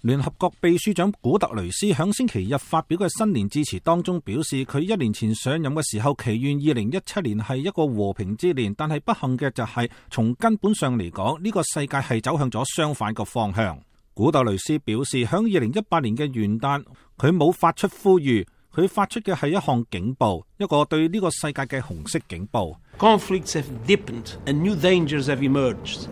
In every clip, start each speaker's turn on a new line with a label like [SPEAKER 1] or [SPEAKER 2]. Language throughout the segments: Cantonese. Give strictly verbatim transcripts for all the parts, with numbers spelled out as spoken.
[SPEAKER 1] 聯合國秘書長古特雷斯響星期日發表嘅新年致辭當中表示，佢一年前上任嘅時候祈願二零一七年係一個和平之年，但係不幸嘅就係從根本上嚟講，呢個世界係走向咗相反嘅方向。古特雷斯表示，響二零一八年嘅元旦，佢冇發出呼籲，佢發出嘅係一項警報，一個對呢個世界嘅紅色警報。
[SPEAKER 2] Conflicts have deepened and new dangers have emerged.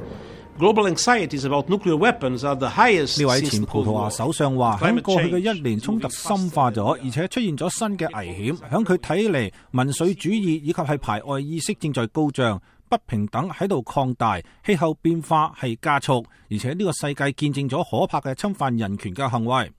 [SPEAKER 2] Global anxieties about nuclear weapons are the highest.
[SPEAKER 1] 呢位前葡萄牙首相話，喺過去嘅一年，衝突深化咗，而且出現咗新嘅危險。響佢睇嚟，民粹主義以及係排外意識正在高漲，不平等喺度擴大，氣候變化係加速，而且呢個世界見證咗可怕嘅侵犯人權嘅行為。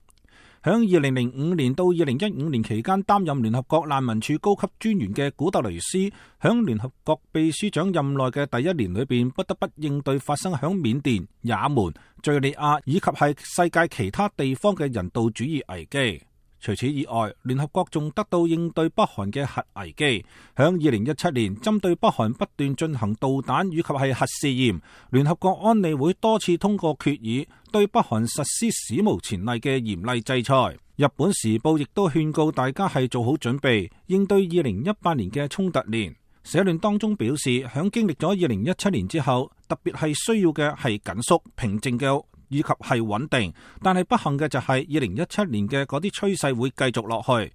[SPEAKER 1] 響二零零五年到二零一五年期間擔任聯合國難民署高級專員嘅古特雷斯，響聯合國秘書長任內嘅第一年裏邊，不得不應對發生響緬甸、也門、敘利亞以及係世界其他地方嘅人道主義危機。除此以外，聯合國仲得到應對北韓嘅核危機。響二零一七年，針對北韓不斷進行導彈以及係核試驗，聯合國安理會多次通過決議，對北韓實施史無前例嘅嚴厲制裁。日本時報亦都勸告大家係做好準備，應對二零一八年嘅衝突年。社論當中表示，響經歷咗二零一七年之後，特別係需要嘅係緊縮、平靜嘅以及係穩定，但係不幸嘅就係二零一七年嘅嗰啲趨勢會繼續落去。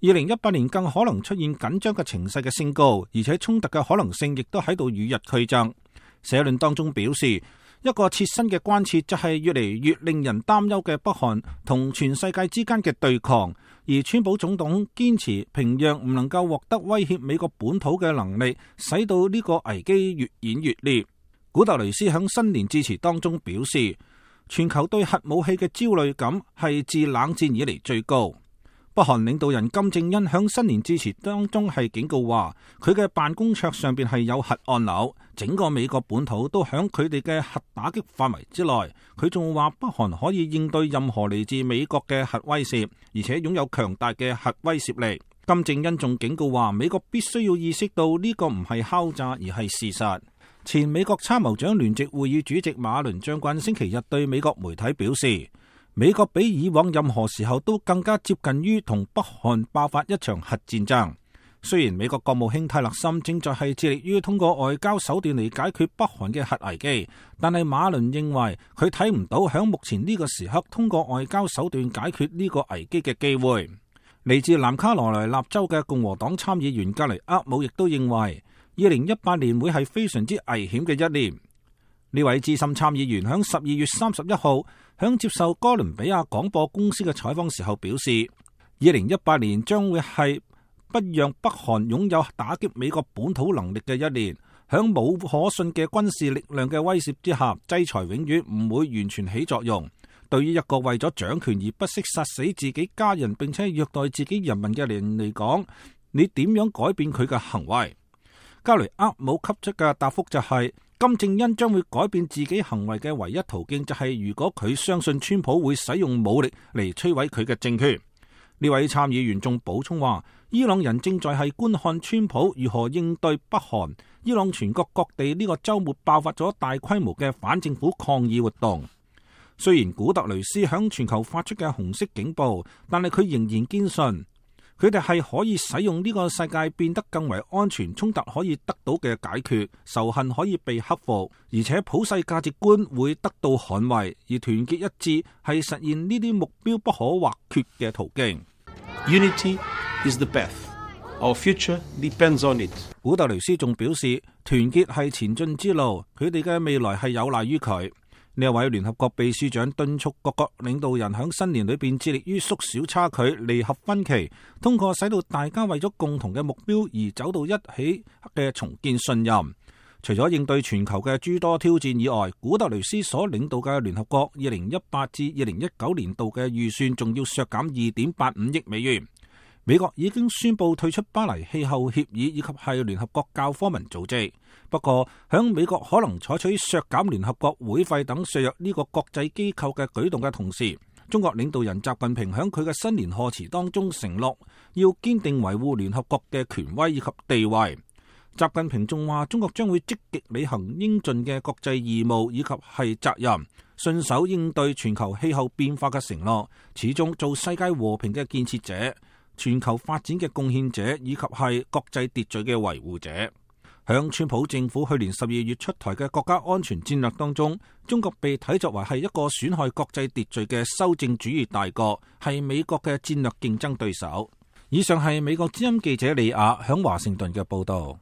[SPEAKER 1] 二零一八年更可能出現緊張嘅情勢嘅升高，而且衝突嘅可能性亦都喺度與日俱增。社論當中表示，一個切身嘅關切就係越嚟越令人擔憂嘅北韓同全世界之間嘅對抗，而川普總統堅持平壤唔能夠獲得威脅美國本土嘅能力，使到呢個危機越演越烈。古特雷斯響新年致辭當中表示，全球對核武器嘅焦慮感係自冷戰以嚟最高。北韓領導人金正恩響新年致辭當中係警告話，佢嘅辦公桌上邊係有核按鈕，整個美國本土都響佢哋嘅核打擊範圍之內。佢仲話北韓可以應對任何嚟自美國嘅核威懾，而且擁有強大嘅核威懾力。金正恩仲警告話，美國必須要意識到呢個唔係敲詐而係事實。前美國參謀長聯席會議主席馬倫將軍星期日對美國媒體表示，美國比以往任何時候都更加接近於同北韓爆發一場核戰爭。雖然美國國務卿泰勒森正在係致力於通過外交手段嚟解決北韓嘅核危機，但係馬倫認為佢睇唔到響目前呢個時刻通過外交手段解決呢個危機嘅機會。嚟自南卡羅來納州嘅共和黨參議員格雷厄姆亦都認為，二零一八年會係非常之危險嘅一年。呢位資深參議員響十二月三十一號響接受哥倫比亞廣播公司嘅採訪時候表示，二零一八年將會係不讓北韓擁有打擊美國本土能力嘅一年。響冇可信嘅軍事力量嘅威懾之下，制裁永遠唔會完全起作用。對於一個為咗掌權而不惜殺死自己家人並且虐待自己人民嘅人嚟講，你點樣改變佢嘅行為？格雷厄姆給出嘅答覆就係、是，金正恩將會改變自己行為嘅唯一途徑就係如果佢相信川普會使用武力嚟摧毀佢嘅政權。呢位參議員仲補充話，伊朗人正在係觀看川普如何應對北韓。伊朗全國各地呢個週末爆發咗大規模嘅反政府抗議活動。雖然古特雷斯響全球發出嘅紅色警報，但係佢仍然堅信佢哋係可以使用呢個世界變得更為安全，衝突可以得到嘅解決，仇恨可以被克服，而且普世價值觀會得到捍衛，而團結一致係實現呢啲目標不可或缺嘅途徑。
[SPEAKER 2] Unity is the path. Our future depends on it.
[SPEAKER 1] 古特雷斯仲表示，團結係前進之路，佢哋嘅未來係有賴於佢。呢一位聯合國秘書長敦促各國領導人喺新年裏邊致力於縮小差距、彌合分歧，通過使到大家為咗共同嘅目標而走到一起嘅重建信任。除咗應對全球嘅諸多挑戰以外，古特雷斯所領導嘅聯合國二零一八至二零一九年度嘅預算仲要削減二點八五億美元。美國已經宣布退出巴黎氣候協議以及係聯合國教科文組織。不過，響美國可能採取削減聯合國會費等削弱呢個國際機構嘅舉動嘅同時，中國領導人習近平響佢嘅新年賀詞當中承諾要堅定維護聯合國嘅權威以及地位。習近平仲話，中國將會積極履行應盡嘅國際義務以及係責任，信守應對全球氣候變化嘅承諾，始終做世界和平嘅建設者、全球發展嘅貢獻者，以及係國際秩序嘅維護者。響川普政府去年十二月出台嘅國家安全戰略當中，中國被睇作為係一個損害國際秩序嘅修正主義大國，係美國嘅戰略競爭對手。以上係美國之音記者李亞響華盛頓嘅報道。